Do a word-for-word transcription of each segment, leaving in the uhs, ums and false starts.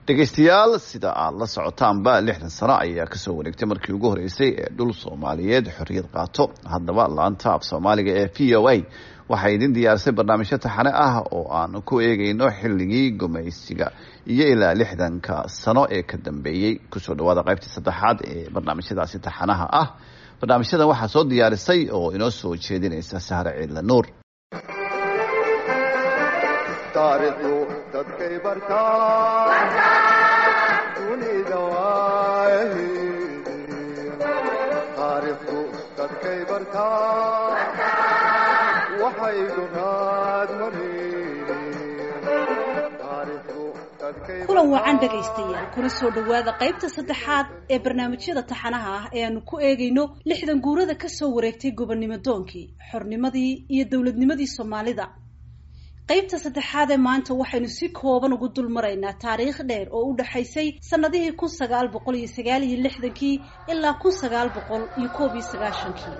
Dhegeystayaal, sida aad la socotaanba, lixdan sano ayaa kasoo wareegtay markii ugu horeysay ee dhul Soomaaliyeed xorriyad qaato. Haddaba, laanta af Soomaaliga ee V O A waxay idin diyaarisay barnaamijyo taxane ah oo aan ku eegeyno xilligii gumaysiga iyo ilaa lixdanka sano ee ka dambeeyey. Kusoo dhawaada qaybtii saddexaad ee barnaamijyadaasi taxanaha ah. Barnaamijyadan waxaa soo diyaarisay oo inoo soo jeedinaysa Sahre Ciidla Nuur. Taariikhdu dadkay bartaa dunida waaheedi. Taariikhdu dadkay bartaa waxay duraad mareen. Taariikhdu dadkay Kulan wacan, dhegaystayaal, kuna soo dhowaada qaybta saddexaad ee barnaamijyada taxanaha ah ee aanu ku eegayno lixdan guurada ka soo wareegtay gobonnimo doonkii, xornimadii iyo dowladnimadii Soomaalida. Qaybta saddexaad ee maanta waxaynu si kooban ugu dul maraynaa taariikh dheer oo u dhexaysay sanadihii kun sagaal boqol iyo sagaal iyo lixdankii ilaa kun sagaal boqol iyo koob iyo sagaashankii.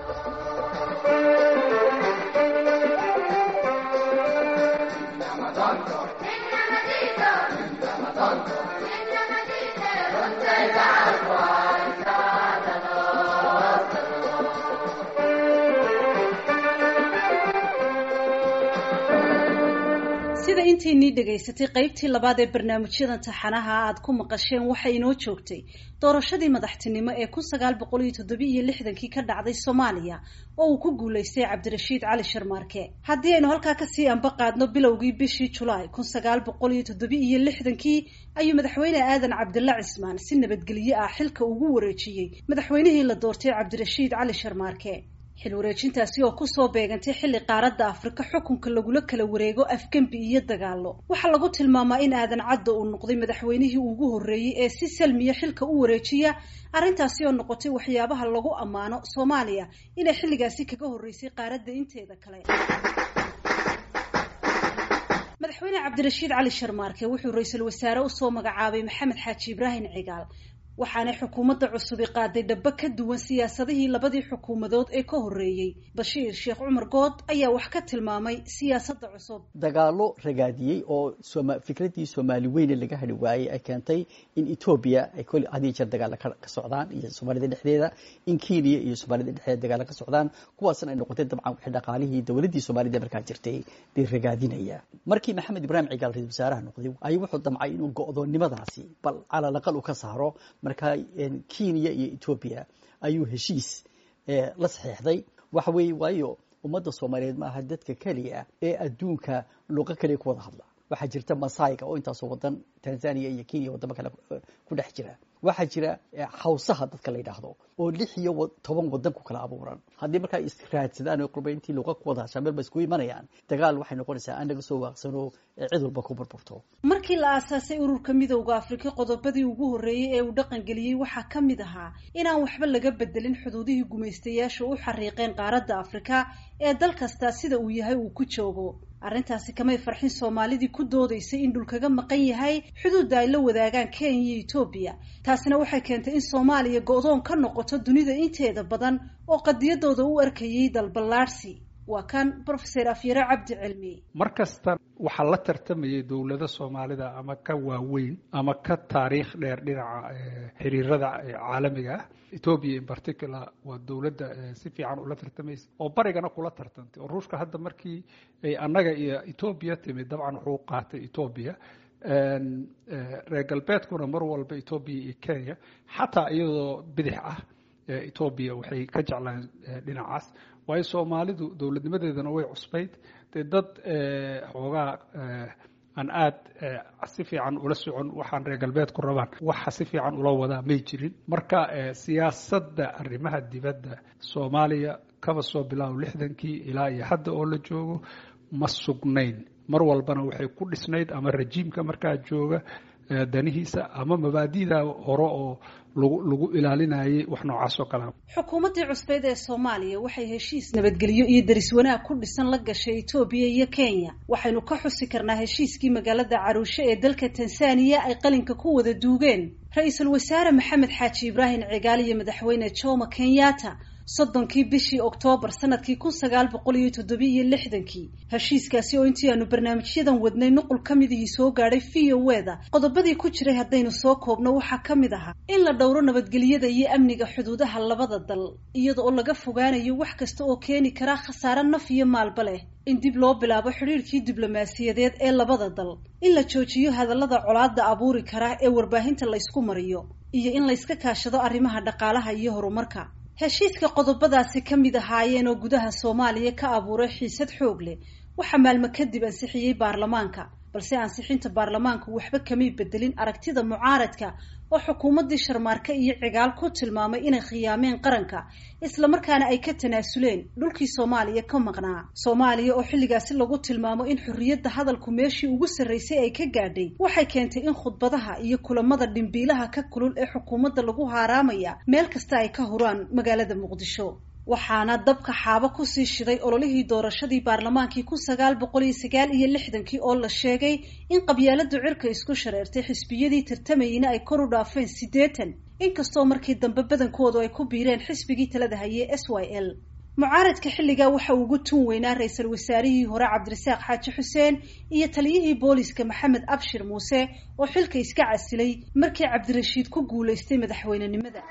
Sida intiinii dhegaysatay qaybtii labaad ee barnaamijyadan taxanaha aad ku maqasheen, waxay inoo joogtay doorashadii madaxtinimo ee kun sagaal boqol iyo toddoba iyo lixdankii ka dhacday Soomaaliya oo uu ku guulaystay Cabdirashiid Cali Sharmaarke. Haddii aynu halkaa kasii anba qaadno, bilowgii bishii Julaay kun sagaal boqol iyo toddoba iyo lixdankii ayuu Madaxweyne Aadan Cabdilla Cismaan si nabadgelyo ah xilka ugu wareejiyey madaxweynihii la doortay, Cabdirashiid Cali Sharmaarke. Xil wareejintaasi oo kusoo beegantay xilli qaaradda Afrika xukunka lagula kala wareego afgembi iyo dagaalo, waxaa lagu tilmaamaa in Aadan Cadda uu noqday madaxweynihii ugu horreeyey ee si salmiya xilka u wareejiya. Arrintaasi oo noqotay waxyaabaha lagu ammaano Soomaaliya inay xilligaasi kaga horreysay qaaradda inteeda kale. Madaxweyne Cabdirashiid Cali Sharmaarke wuxuu ra-iisul wasaare usoo magacaabay Maxamed Xaaji Ibraahim Cigaal, waxaanay xukuumadda cusubi qaaday dhabo ka duwan siyaasadihii labadii xukuumadood ee ka horreeyey. Bashiir Sheekh Cumar Good ayaa wax ka tilmaamay siyaasadda cusub. Dagaallo ragaadiyey oo fikraddii Soomaali weyne laga hadhi waayey ay keentay in Etoobiya ay kol had iyo jeer dagaalla ka socdaan iyo Soomaalida dhexdeeda, in Kenya iyo Soomaalida dhexdeeda dagaalla ka socdaan, kuwaasna ay noqotay dabcan wixii dhaqaalihii dowladdii Soomaalida markaa jirtay bay ragaadinaya. Markii Maxamed Ibraahim Cigaal ra-isul wasaaraha noqday ayuu wuxuu damcay inuu go'doonnimadaasi bal calal aqal u ka saaro. Markaa Kenya iyo Etoobiya ayuu heshiis la saxiixday. Waxa weeye, waayo ummadda Soomaaliyeed ma aha dadka keliya ee adduunka luqo keliya ku wada hadla. Waxaa jirta Masayga oo intaasoo wadan, Tanzania iyo Kenya, wadamo kale ku dhex jira. Waxaa jira Hawsaha dadka la yidhaahdo oo lix iyo toban wadan ku kala abuuran. Haddii markaa israadsadaan oo qurba intii luqa ku wada hashaan meel ba isku imanayaan, dagaal waxay noqonaysaa aan laga soo waaqsano, cid walba ku burburto. Markii la aasaasay Ururka Midowda Afrika, qodobadii ugu horreeyey ee uu dhaqangeliyey waxaa ka mid ahaa inaan waxba laga bedelin xuduudihii gumaystayaashu u xariiqeen qaaradda Afrika ee dal kastaa sida uu yahay uu ku joogo. Arrintaasi kamay farxin Soomaalidii ku doodaysay in dhul kaga maqan yahay xuduudda ay la wadaagaan Kenya iyo Etoobiya. Taasina waxay keentay in Soomaaliya go'doon ka noqoto dunida inteeda badan oo qadiyadooda u arkayay dalballaadhsi. Waa kan Professor Afyare Cabdi Cilmi. Mar kasta waxaa la tartamayay dowlado Soomaalida ama ka waaweyn ama ka taariikh dheer dhinaca xiriirada caalamiga ah. Ethiopia in particular waa dowladda si fiican ula tartamaysa oo barigana kula tartantay, oo Ruushka hadda markii ay annaga iyo Ethiopia timid, dabcan wuxuu qaatay Ethiopia. Reer galbeedkuna mar walba Ethiopia iyo Kenya, xataa iyadoo bidix ah Ethiopia waxay ka jeclaan dhinacaas, waayo Soomaalidu dowladnimadeedana way cusbayd. Dee dad xoogaa aan aad si fiican ula socon waxaan reer galbeedku rabaan waxa si fiican ula wadaa may jirin. Marka siyaasadda arrimaha dibadda Soomaaliya kaba soo bilaabo lixdankii ilaa iyo hadda oo la joogo ma sugnayn. Mar walbana waxay ku dhisnayd ama rajiimka markaa jooga danihiisa ama mabaadi'da hore oo lagu lagu ilaalinayay, wax noocaas oo kalea. Xukuumaddii cusbeyd ee Soomaaliya waxay heshiis nabadgelyo iyo deris wanaag ku dhisan la gashay Etoobiya iyo Kenya. Waxaynu ka xusi karnaa heshiiskii magaalada Caruushe ee dalka Tansaaniya ay qalinka ku wada duugeen Ra-iisul Wasaare Maxamed Xaaji Ibraahim Cigaal iyo Madaxweyne Jomo Kenyatta. Soddonkii bishii Oktoobar sanadkii kun sagaal boqol iyo toddobiiyo lixdankii. Heshiiskaasi oo intii aanu barnaamijyadan wadnay nuqul ka midihii soo gaadhay V O E da, qodobadii ku jiray haddaynu soo koobno waxaa ka mid ahaa in la dhowro nabadgelyada iyo amniga xuduudaha labada dal, iyada oo laga fogaanayo wax kasta oo keeni kara khasaare naf iyo maalba leh, in dib loo bilaabo xidhiirkii diblomaasiyadeed ee labada dal, in la joojiyo hadallada colaadda abuuri kara ee warbaahinta laysku mariyo, iyo in layska kaashado arrimaha dhaqaalaha iyo horumarka. Heshiiska qodobadaasi ka mid ahaayeen oo gudaha Soomaaliya ka abuuray xiisad xoog leh waxaa maalmo kadib ansixiyey baarlamaanka, balse ansixinta baarlamaanku waxba kamay bedelin aragtida mucaaradka oo xukuumaddii Sharmaarke iyo Cigaal ku tilmaamay inay khiyaameen qaranka, islamarkaana ay ka tanaasuleen dhulkii Soomaaliya ka maqnaa. Soomaaliya oo xilligaasi lagu tilmaamo in xorriyadda hadalku meeshii ugu sarraysay ay ka gaadhay, waxay keentay in khudbadaha iyo kulamada dhimbiilaha ka kulul ee xukuumadda lagu haaraamaya meel kasta ay ka huraan magaalada Muqdisho. Waxaana dabka xaabo kusii shiday ololihii doorashadii baarlamaankii kun sagaal boqol iyo sagaal iyo lixdankii oo la sheegay in qabyaaladu cirka isku shareertay, xisbiyadii tartamayeyna ay kor u dhaafeen siddeetan, inkastoo markii dambe badankoodu ay ku biireen xisbigii talada hayay S Y L. Mucaaradka xilligaa waxa ugu tun weynaa ra-iisul wasaarihii hore Cabdirasaaq Xaaji Xuseen iyo taliyihii booliska Maxamed Abshir Muuse oo xilka iska casilay markii Cabdirashiid ku guulaystay madaxweynenimada.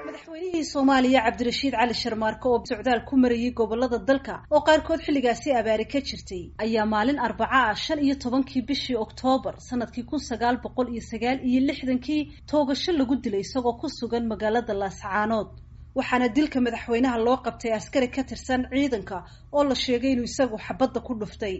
Madaxweynihii Soomaaliya Cabdirashiid Cali Sharmaarke oo socdaal ku marayay gobolada dalka oo qaarkood xilligaasi abaari ka jirtay ayaa maalin arbaca ah shan iyo tobankii bishii Oktoobar sanadkii kun sagaal boqol iyo sagaal iyo lixdankii toogasho lagu dilay isagoo ku sugan magaalada Laascaanood. Waxaana dilka madaxweynaha loo qabtay askari ka tirsan ciidanka oo la sheegay inuu isagu xabadda ku dhuftay.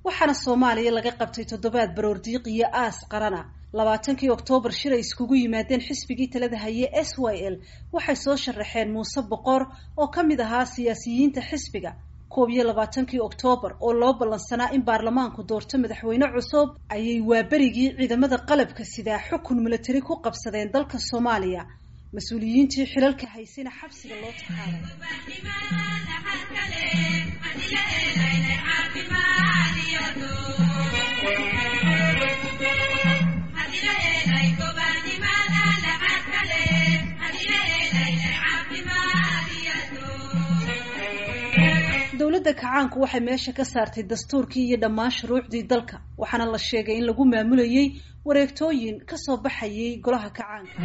Waxaana Soomaaliya laga qabtay toddobaad baroordiiq iyo aas qarana. Labaatankii Oktoobar shir ay iskugu yimaadeen xisbigii talada haye S Y L waxay soo sharaxeen Muuse Boqor oo ka mid ahaa siyaasiyiinta xisbiga. Koob iyo labaatankii Oktoobar oo loo ballansanaa in baarlamaanku doorto madaxweyne cusub ayay waaberigii ciidamada qalabka sidaa xukun milatari ku qabsadeen dalka Soomaaliya. Mas-uuliyiintii xilalka haysayna xabsiga loo taxaalay. Dowladda kacaanku waxay meesha ka saartay dastuurkii iyo dhammaan shuruucdii dalka, waxaana la sheegay in lagu maamulayay wareegtooyin ka soo baxayay golaha kacaanka.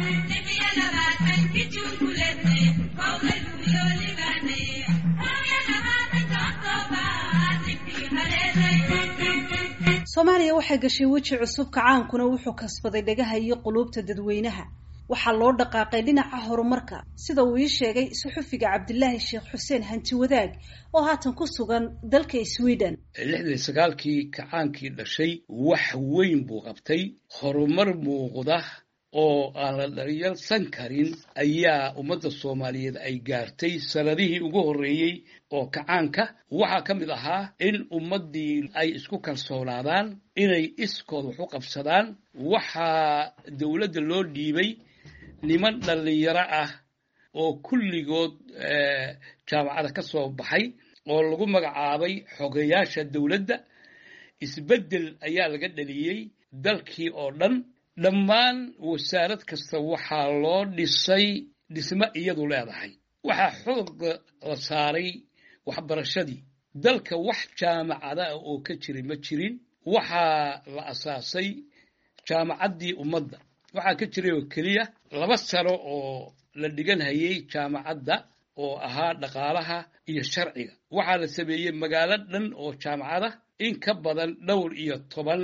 Soomaaliya waxay gashay weji cusub, kacaankuna wuxuu kasbaday dhagaha iyo quluubta dadweynaha. Waxaa loo dhaqaaqay dhinaca horumarka, sida uu ii sheegay suxufiga Cabdilaahi Sheekh Xuseen Hanti Wadaag oo haatan ku sugan dalka Sweden. Lixdan iyo sagaalkii kacaankii dhashay wax weyn buu qabtay, horumar muuqda oo aan la dharyalsan karin ayaa ummadda Soomaaliyeed ay gaartay sanadihii ugu horreeyey oo kacaanka. Waxaa ka mid ahaa in ummaddii ay isku kalsoonaadaan, inay iskood wax u qabsadaan. Waxaa dowladda loo dhiibay niman dhallinyaro ah oo kulligood jaamacada ka soo baxay oo lagu magacaabay xogeyaasha dowladda. Isbeddel ayaa laga dhaliyey dalkii oo dhan. Dhammaan wasaarad kasta waxaa loo dhisay dhismo iyadu leedahay. Waxaa xoogga la saaray waxbarashadii dalka, wax jaamacada ah oo ka jiray ma jirin. Waxaa la asaasay jaamacaddii ummadda. Waxaa ka jiray oo keliya laba sano oo la dhigan hayay jaamacadda oo ahaa dhaqaalaha iyo sharciga. Waxaa la sameeyey magaalo dhan oo jaamacada in ka badan dhowr iyo toban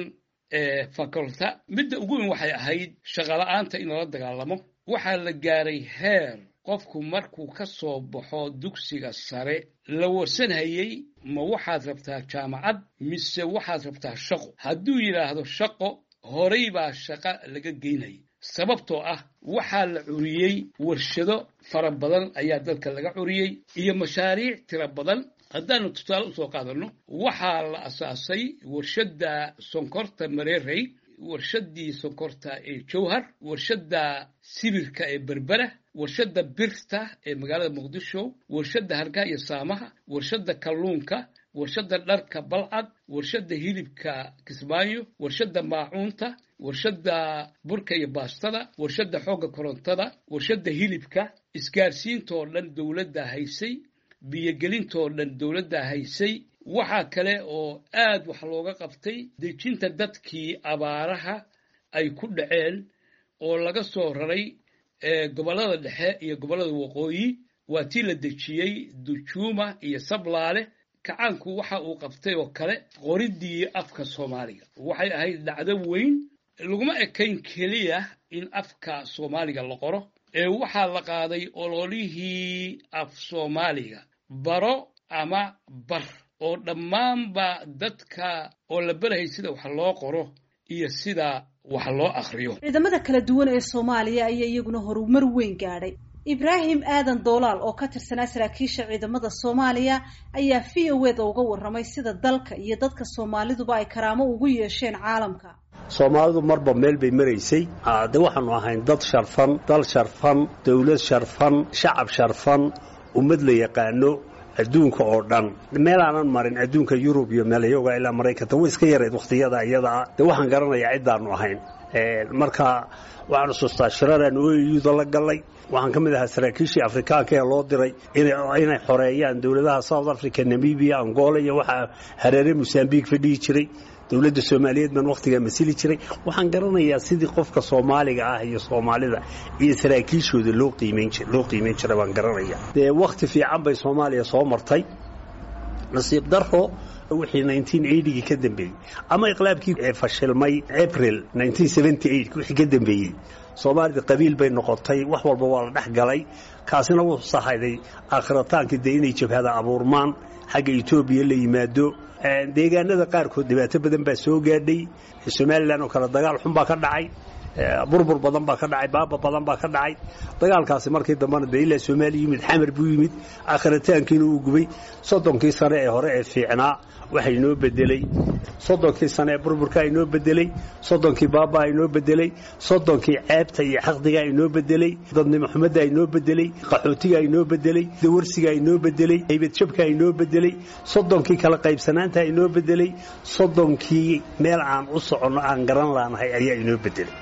faculta. Midda ugu weyn waxay ahayd shaqola'aanta in lala dagaalamo. Waxaa la gaaray heer qofku markuu ka soo baxo dugsiga sare la warsanhayey, ma waxaad rabtaa jaamacad mise waxaad rabtaa shaqo? Hadduu yidhaahdo shaqo, horay baa shaqa laga geynaya. Sababtoo ah waxaa la curiyey warshado fara badan ayaa dalka laga curiyey iyo mashaariic tiro badan. Haddaanu tusaale usoo qaadanno, waxaa la asaasay warshadda sonkorta Mareerey. warshaddii sonkorta ee Jowhar, warshadda sibirka ee Berbera, warshadda birta ee magaalada Muqdisho, warshadda hargaha iyo saamaha, warshadda kalluunka, warshadda dharka Balcad, warshadda hilibka Kismaayo, warshadda maacuunta, warshadda burka iyo baastada, warshadda xoogga korontada, warshadda hilibka. Isgaarsiintoo dhan dowladda haysay, biyogelintoo dhan dowladda haysay. Waxaa kale oo aad wax looga qabtay dejinta dadkii abaaraha ay ku dhaceen oo laga soo raray gobollada dhexe iyo gobollada waqooyi. Waa tii la dejiyey Dujuuma iyo Sablaale. Kacaanku waxa uu qabtay oo kale qoriddii afka Soomaaliga. Waxay ahayd dhacdo weyn. Laguma ekayn keliya in afka Soomaaliga la qoro, ee waxaa la qaaday ololihii af Soomaaliga baro ama bar, oo dhammaanba dadka oo la barahay sida wax loo qoro iyo sida wax loo akhriyo. Ciidamada kala duwan ee Soomaaliya ayaa iyaguna horumar weyn gaadhay. Ibraahim Aadan Doolaal oo ka tirsanaa saraakiisha ciidamada Soomaaliya ayaa V O da uga warramay sida dalka iyo dadka Soomaaliduba ay karaamo ugu yeesheen caalamka. Soomaalidu marba meel bay maraysay. De waxaanu ahayn dad sharfan, dal sharfan, dowlad sharfan, shacab sharfan, ummad la yaqaano adduunka oo dhan. Meelaanan marin adduunka, Yurub iyo meelayoga ilaa Maraykanka, way iska yarayd wakhtiyada iyadaa. De waxaan garanayaa ciddaanu ahayn. Marka waxaan xusuustaa shiraraan O U da la galay. Waxaan ka mid ahaa saraakiishii Afrikaanka ee loo diray inay xoreeyaan dowladaha South Africa, Namibia, Angola iyo waxaa hareere Mosambique fadhihi jiray. Dowladda Soomaaliyeed baan wakhtigaa masili jiray. Waxaan garanayaa sidii qofka Soomaaliga ah iyo Soomaalida iyo saraakiishooda loo qiimayn loo qiimayn jiray baan garanaya. Dee wakhti fiican bay Soomaaliya soo martay. Nasiib daro, wixii gii ka dambeeyey ama iqlaabkii fashilmay April wixii ka dambeeyey, Soomaalida qabiil bay noqotay, wax walba waa la dhex galay. Kaasina wuxuu sahayday aakhirataanki dee inay jabhada abuurmaan, xagga Etoobiya la yimaado. Deegaanada qaarkood dhibaato badan baa soo gaadhay. Somalilan oo kale dagaal xun baa ka dhacay, burbur badan baa ka dhacay, baaba badan baa ka dhacay. Dagaalkaasi markii dambena dee ilaa Soomaaliya yimid, Xamar buu yimid, aakhiritaankiina uu gubay. Soddonkii sane ee hore ee fiicnaa waxa inoo bedelay soddonkii sane ee burburkaa inoo bedelay, soddonkii baabaa inoo bedelay, soddonkii ceebta iyo xaqdigaa inoo bedelay, dadnimo xumaddaa inoo bedelay, qaxootigaa inoo bedelay, dawarsigaa inoo bedelay, haybadjabkaa inoo bedelay, soddonkii kala qaybsanaantaa inoo bedelay, soddonkii meel aan u soconno aan garan laanahay ayaa inoo bedelay.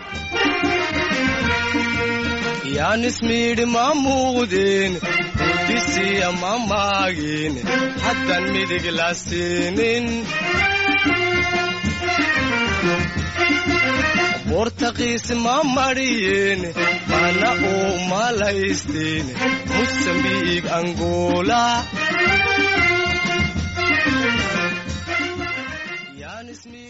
Yaanismiidhi maamuudeen udisiya mamaagin haddan midig la siinin, Bortaqiis ma mariyeen mana uu malaysteen Musambiig Angola.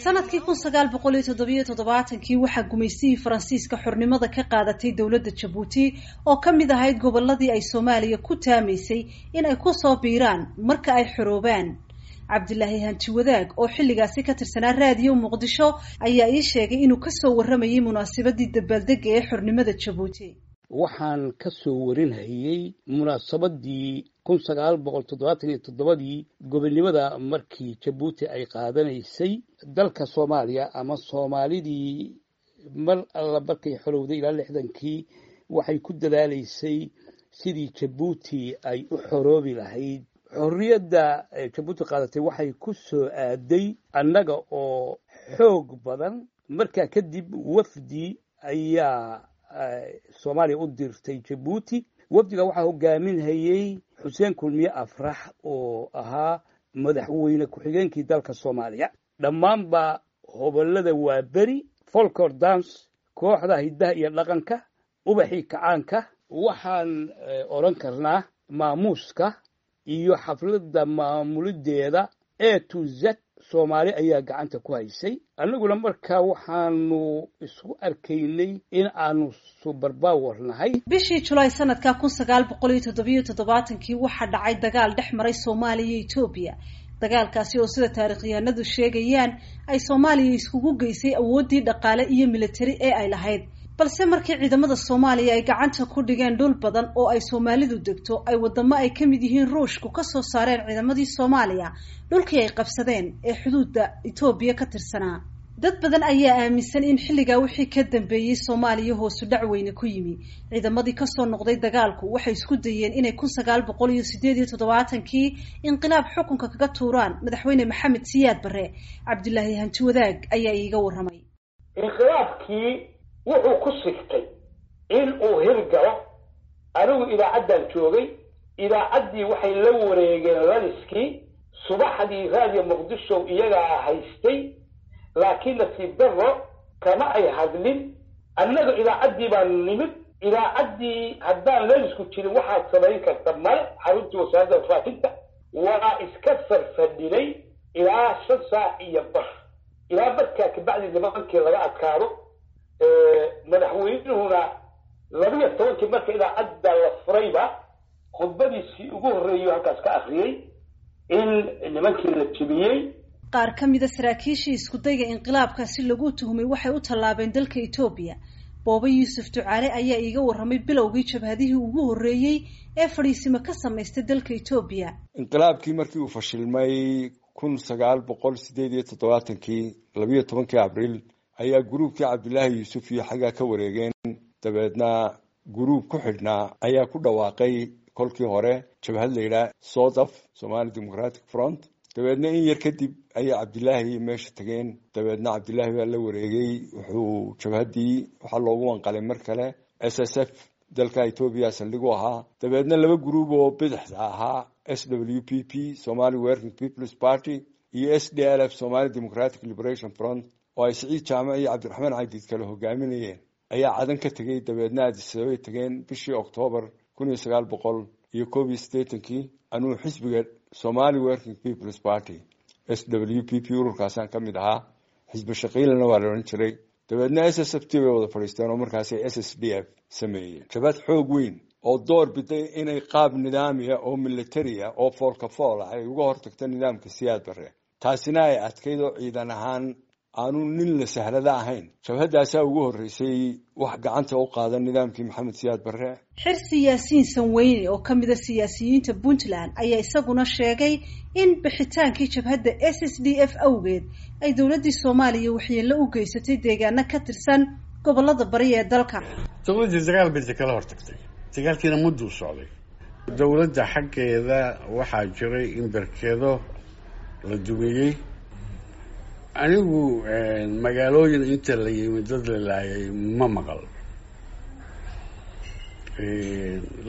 Sanadkii kun sagaal boqol iyo toddobiyo toddobaatankii waxaa gumaystihii Faransiiska xornimada ka qaadatay dowladda Jabuuti oo ka mid ahayd gobolladii ay Soomaaliya ku taamaysay in ay ku soo biiraan marka ay xoroobaan. Cabdilaahi Hanti Wadaag oo xilligaasi ka tirsanaa Raadiyo Muqdisho ayaa ii sheegay inuu kasoo warramayay munaasabadii dabaaldega ee xornimada Jabuuti. Waxaan ka soo warinhayey munaasabadii kun sagaal boqol toddobaatan iyo toddobadii gobonnimada markii Jabuuti ay qaadanaysay. Dalka Soomaaliya ama Soomaalidii mar alla markay xorowday ilaa lixdankii waxay ku dadaalaysay sidii Jabuuti ay u xoroobi lahayd. Xorriyadda Jabuuti qaadatay waxay ku soo aaday annaga oo xoog badan. Markaa kadib wafdi ayaa Soomaaliya u dirtay Jabuuti. Wafdiga waxaa hogaaminhayey Xuseen Kulmiye Afrax oo ahaa madaxweyne ku-xigeenkii dalka Soomaaliya. Dhammaanba hobolada Waaberi folklore dance, kooxda hiddaha iyo dhaqanka, ubaxii kacaanka, waxaan odhan karnaa maamuuska iyo xafladda maamulideeda A to Z Soomaali ayaa gacanta ku haysay. Annaguna markaa waxaanu isku arkaynay in aanu subarbawer nahay. Bishii Julaay sanadka kun sagaal boqol iyo toddobiyo toddobaatankii waxaa dhacay dagaal dhex maray Soomaaliya iyo Etoobiya. Dagaalkaasi oo sida taarikhyahanadu sheegayaan ay Soomaaliya iskugu geysay awooddii dhaqaale iyo militari ee ay lahayd, balse markii ciidamada Soomaaliya ay gacanta ku dhigeen dhul badan oo ay Soomaalidu degto, ay wadamo ay ka mid yihiin Ruushku ka soo saareen ciidamadii Soomaaliya dhulkii ay qabsadeen ee xuduudda Etoobiya ka tirsanaa. Dad badan ayaa aaminsan in xilligaa wixii ka dambeeyey Soomaaliya hoosu dhac weyne ku yimi. Ciidamadii kasoo noqday dagaalku waxay isku dayeen inay kun sagaal boqol iyo sideed iyo toddobaatankii inqilaab xukunka kaga tuuraan madaxweyne Maxamed Siyaad Barre. Cabdilaahi Hanti Wadaag ayaa iiga warramay. Inqilaabkii wuxuu ku sigtay in uu hirgalo. Anigu idaacaddaan joogay, idaacaddii waxay la wareegeen laliskii subaxdii Raadiyo Muqdisho iyagaa haystay, laakiin nasiib darro kama ay hadlin. Annaga idaacaddii baan nimid, idaacaddii haddaan lalisku jirin waxaad samayn karta male. Xaruntii wasaaradda warfaafinta waa iska farfadhinay ilaa shan saac iyo bar, ilaa markaa kabacdi nimankii laga adkaado. Madaxweynuhuna labiyo tobankii marka idaacadda la furayba khudbadiisii ugu horreeyay halkaas ka akriyey in nimankii la jebiyey. Qaar ka mida saraakiishii iskudayga inqilaabkaasi lagu tuhmay waxay u tallaabeen dalka Etoobiya. Boobe Yuusuf Ducaale ayaa iiga warramay bilowgii jabhadihii ugu horreeyey ee fadhiisimo ka samaystay dalka Etoobiya. Inqilaabkii markii uu fashilmay kun sagaal boqol sideed iyo toddobaatankii labiyo tobankii Abriil ayaa guruubkii Cabdilaahi Yuusuf iyo xaggaa ka wareegeen. Dabeedna guruub ku xidhnaa ayaa ku dhawaaqay kolkii hore jabhad la yidhaah SODAF, Somali Democratic Front. Dabeedna in yar kadib ayay Cabdilaahi meesha tageen. Dabeedna Cabdilaahi baa la wareegay. Wuxuu jabhaddii waxaa loogu wanqalay mar kale S S F dalka Etoobiya saldhig u ahaa. Dabeedna laba guruub oo bidixda ahaa, S W P P, Somali Working People's Party, iyo S D L F, Somali Democratic Liberation Front, oo ay Siciid Jaamac iyo Cabdiraxmaan Cadiid kale hogaaminayeen, ayaa Cadan ka tegey. Dabeedna Addis Ababay tageen bishii Oktoobar kun iyo sagaal boqol iyo koob iyo siddeetankii. Anuu xisbiga Somali Working People's Party S W P P ururkaasaan ka mid ahaa, xisbi shaqiilana waa la odhan jiray. Dabeedna S S F T bay wada fadhiisteen oo markaasay S S D F sameeyeen, jabhad xoog weyn oo door biday inay qaab nidaamiya oo militariya oo foolka fool ah ay uga hortagto nidaamka Siyaad Barre. Taasina ay adkayd oo ciidan ahaan aanu nin la sahlada ahayn. Jabhaddaasaa ugu horreysay wax gacanta u qaada nidaamkii Maxamed Siyaad Barre. Xirsi Yaasiin Sanweyne oo ka mida siyaasiyiinta Puntland ayaa isaguna sheegay in bixitaankii jabhadda S S D F awgeed ay dowladdii Soomaaliya waxyeello u geysatay deegaano ka tirsan gobollada bari ee dalka. Dowladdii dagaal bay kala hortagtay, dagaalkiina mudduu socday. Dowladda xaggeeda waxaa jiray in berkedo la dumiyey. Anigu magaalooyin inta la yimid dad la laayay ma maqal,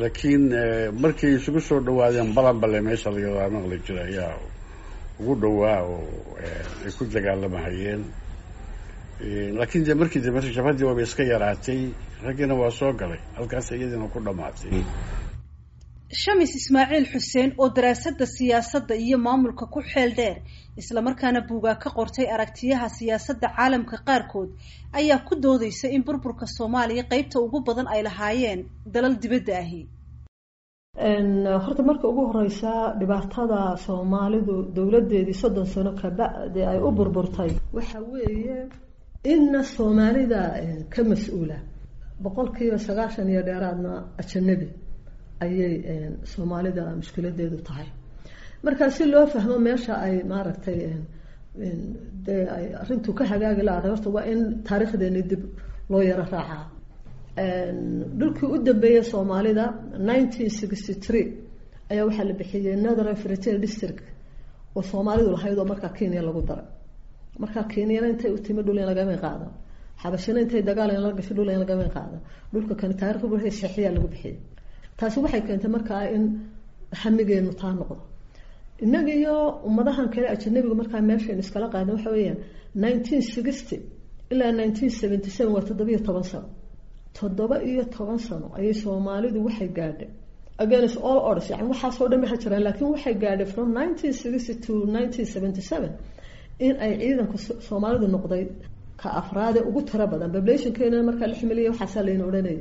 laakiin markay isugu soo dhawaadeen Balanbale meesha lagadaa maqli jira ayaa ugu dhowaa oo ay ku dagaalamahayeen. Laakiin dee markii dambe jabhaddii waaba iska yaraatay, raggiina waa soo galay, halkaas iyadiina ku dhamaatay. Shamis Ismaaciil Xuseen oo daraasadda siyaasadda iyo maamulka ku xeel dheer islamarkaana buugaa ka qortay aragtiyaha siyaasadda caalamka qaarkood ayaa ku doodaysa in burburka Soomaaliya qeybta ugu badan ay lahaayeen dalal dibadda ahi. Horta marka ugu horeysa dhibaatada Soomaalidu dowladeedii soddon sano kabacdi ay u burburtay waxa weeye inna Soomaalida ka mas-uula boqolkiiba sagaashan iyo dheeraadna ajanabi ayay Soomaalida mushkiladeedu tahay. Marka si loo fahmo meesha ay maaragtay dee ay arrintu ka hagaagi lahayd, horta waa in taariikhdeeni dib loo yaro raacaa. Dhulkii u dambeeyay Soomaalida nineteen sixty three ayaa waxaa la bixiyey Northern Frontier District oo Soomaalidu lahayd oo markaa Kenya lagu daray. Markaa Kenyana intay u timi dhul in lagama qaadan, Xabashina intay dagaal in la gasho dhul in lagama qaadan, dhulka kan taariikhdu waxay saxiya lagu bixiyey. Taasi waxay keentay markaa in hamigeenu taa noqdo. Innaga iyo ummadahan kale ajanabigu markaa meeshayn iskala qaadan waxa weeyaan nineteen sixty ilaa nineteen seventy seven waa toddoba iyo toban sano. Toddoba iyo toban sano ayay Soomaalidu waxay gaadhay against all odds, yani waxaasoo dhan waxa jiraan, laakiin waxay gaadhay from nineteen sixty to nineteen seventy seven in ay ciidanka Soomaalidu noqday ka afraade ugu tiro badan. Populationkeena markaa lix milyan waxaasaa layna odhanayay.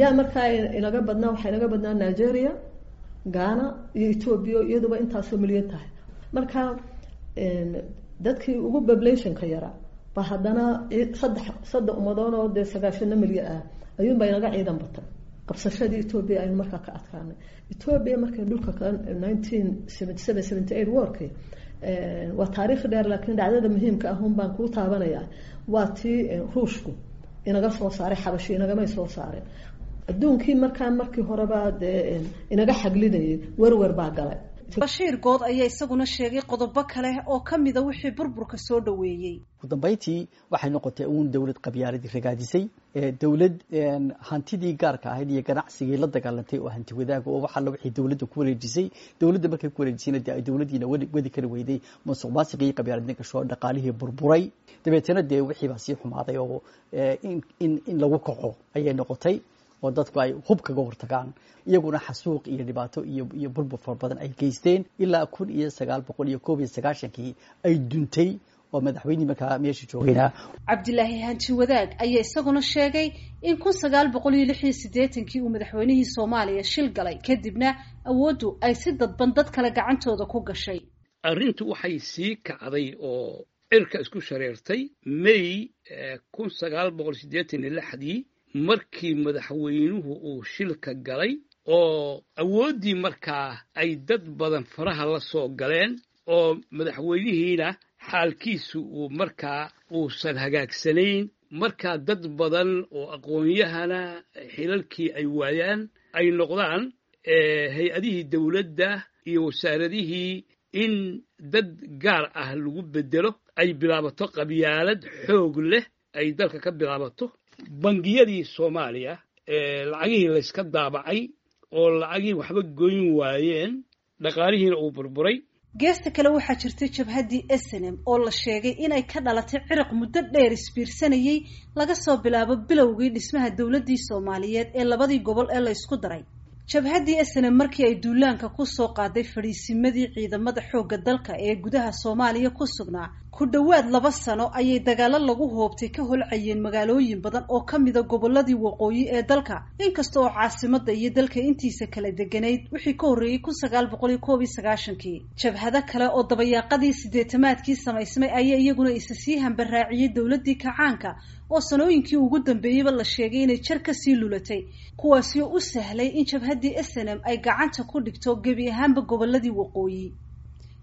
Yaa markaa inaga badnaa, waxaa inaga badnaa Nigeria, Ghana iyo Ethiopia, iyaduba intaasoo milyan tahay. Marka dadkii ugu populationka yaraa ba haddana saddex saddex ummadoon oo dee sagaashano milyan ah ayuunbaa inaga ciidan batay. Qabsashadii Ethiopia aynu markaa ka adkaanay. Ethiopia markay dhulka ka nineteen seventy seven seventy eight warkii Waa taariikh dheer, laakiin dhacdada muhiimka ah un baan kuu taabanayaa. Waa tii Ruushku inaga soo saaray, Xabashi inagamay soo saareen. Adduunkii markaa markii horeba dee inaga xaglinayay werwer baa galay. Bashiir Good ayaa isaguna sheegay qodobo kale oo ka mida wixii burburka soo dhoweeyey. Ugu dambeyntii waxay noqotay uun dowlad qabyaaladii ragaadisay, dowlad hantidii gaarka ahayd iyo ganacsigii la dagaalantay oo hanti wadaaga oo waxa wixii dowladda ku wareejisay. Dowladda markay ku wareejisayna dee ay dowladdiina wadi kari weyday, musuq maasuqii qabyaaladna gasho, dhaqaalihii burburay. Dabeetana dee wixii baa sii xumaaday oo in in in lagu kaco ayay noqotay oo dadku ay hub kaga hortagaan, iyaguna xasuuq iyo dhibaato iyo iyo burbur fara badan ay geysteen ilaa kun iyo sagaal boqol iyo koob iyo sagaashankii ay duntay oo madaxweynihii markaa meesha joogayna. Cabdilaahi Hanti Wadaag ayaa isaguna sheegay in kun sagaal boqol iyo lix iyo siddeetankii uu madaxweynihii Soomaaliya shil galay, kadibna awooddu ay si dadban dad kale gacantooda ku gashay. Arrintu waxay sii kacday oo cirka isku shareertay May kun sagaal boqol siddeetan iyo lixdii markii madaxweynuhu uu shilka galay oo awooddii markaa ay dad badan faraha la soo galeen oo madaxweynihiina xaalkiisu uu markaa uusan hagaagsanayn. Markaa dad badan oo aqoon-yahana xilalkii ay waayaan, ay noqdaan hay-adihii dowladda iyo wasaaradihii in dad gaar ah lagu bedelo, ay bilaabato qabyaalad xoog leh ay dalka ka bilaabato. Bangiyadii Soomaaliya lacagihii layska daabacay oo lacagihii waxba goyn waayeen, dhaqaalihiina uu burburay. Geesta kale waxaa jirtay jabhaddii S N M oo la sheegay inay ka dhalatay ciriq muddo dheer isbiirsanayey laga soo bilaabo bilowgii dhismaha dowladdii Soomaaliyeed ee labadii gobol ee la ysku daray. Jabhaddii S N M markii ay duulaanka ku soo qaaday fadhiisimadii ciidamada xoogga dalka ee gudaha Soomaaliya ku sugnaa, ku dhowaad laba sano ayay dagaalo lagu hoobtay ka holcayeen magaalooyin badan oo ka mida gobolladii waqooyi ee dalka, inkasta oo caasimadda iyo dalka intiisa kala deganayd wixii ka horreeyey kun sagaal boqol iyo koob iyo sagaashankii. Jabhado kale oo dabayaaqadii siddeetamaadkii samaysmay ayaa iyaguna isa sii hambaraaciyey dowladdii kacaanka oo sanooyinkii ugu dambeeyeyba la sheegay inay jar kasii lulatay, kuwaasi oo u sahlay in jabhaddii S N M ay gacanta ku dhigto gebi ahaanba gobolladii waqooyi.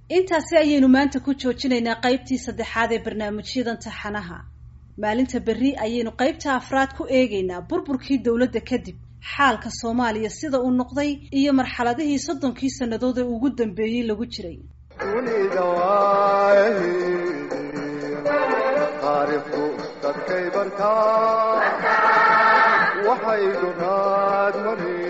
Intaasi ayaynu maanta ku joojinaynaa qaybtii saddexaad ee barnaamijyadan taxanaha. Maalinta berri ayaynu qaybta afraad ku eegaynaa burburkii dowladda kadib xaalka Soomaaliya sida uu noqday iyo marxaladihii soddonkii sannadood ee ugu dambeeyey lagu jiray. Dunida waayaheedii taariikhdu dadkay bartaa, waxay duraad mareen.